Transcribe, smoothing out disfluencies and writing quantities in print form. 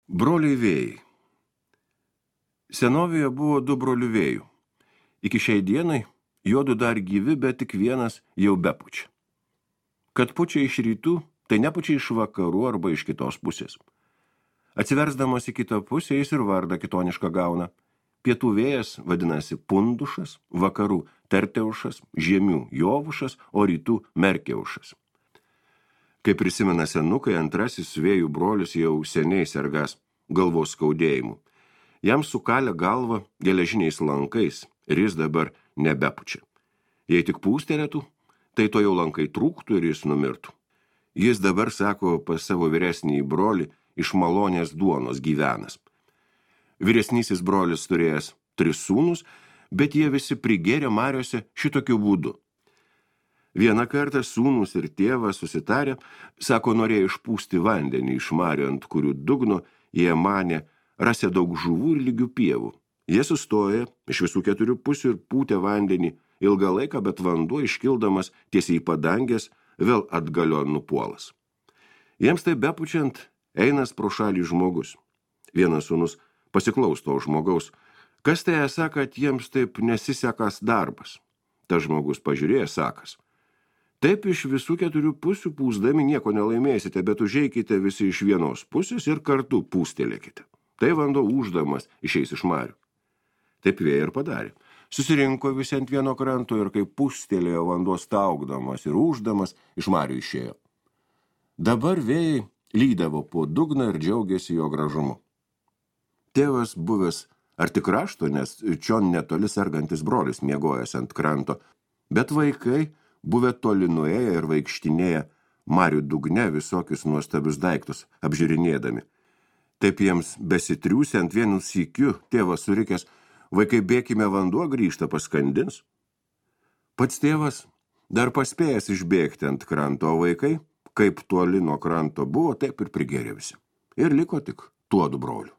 Broliai vėjai. Senovėje buvo 2 brolių vėjų. Iki šiai dienai juodu dar gyvi, bet tik vienas jau bepučia. Kad pučia iš rytų, tai nepučia iš vakarų arba iš kitos pusės. Atsiversdamas į kitą pusę, jis ir vardą kitonišką gauna. Pietų vėjas vadinasi Pundušas, vakarų Terteušas, žiemių Jovušas, o rytų Merkeušas. Kaip prisimena senukai, antrasis vėjų brolius jau seniai sergas galvos skaudėjimu. Jam sukalė galvą geležiniais lankais ir jis dabar nebepučia. Jei tik pūstelėtų, tai to jau lankai trūktų ir jis numirtų. Jis dabar, sako, pas savo vyresnįjį brolį iš malonės duonos gyvenas. Vyresnysis brolis turėjęs 3 sūnus, bet jie visi prigėrė mariose šitokiu būdu. Vieną kartą sūnus ir tėvas susitarė, sako, norėjo išpūsti vandenį iš marių, ant kurių dugno jie manė rasė daug žuvų ir lygių pievų. Jie sustoja iš visų 4 pusių ir pūtė vandenį ilgą laiką, bet vanduo iškildamas tiesiai į padangės vėl atgalion nupuolas. Jiems tai bepučiant einas pro šalį žmogus. Vienas sūnus pasiklausto žmogaus, kas tai esą, kad jiems taip nesisekas darbas. Tas žmogus pažiūrėjo, sakas, taip iš visų 4 pusių pūsdami nieko nelaimėsite, bet užeikite visi iš vienos pusės ir kartu pūstelėkite. Tai vanduo uždamas išeis iš marių. Taip vėjai ir padarė. Susirinko visi ant vieno kranto ir kaip pūstelėjo vanduo staugdamas ir uždamas iš marių išėjo. Dabar vėjai lydavo po dugną ir džiaugėsi jo gražumu. Tėvas buvęs arti krašto, nes čion netoli sergantis brolis miegojęs ant kranto, bet vaikai buvę toli nuėję ir vaikštinėję marių dugne visokius nuostabius daiktus apžiūrinėdami. Taip jiems besitriūsiant vienu sykiu, tėvas surikęs, vaikai bėkime, vanduo grįžta, paskandins. Pats tėvas dar paspėjęs išbėgti ant kranto, o vaikai, kaip toli nuo kranto buvo, taip ir prigėrė visi. Ir liko tik tuodu broliu.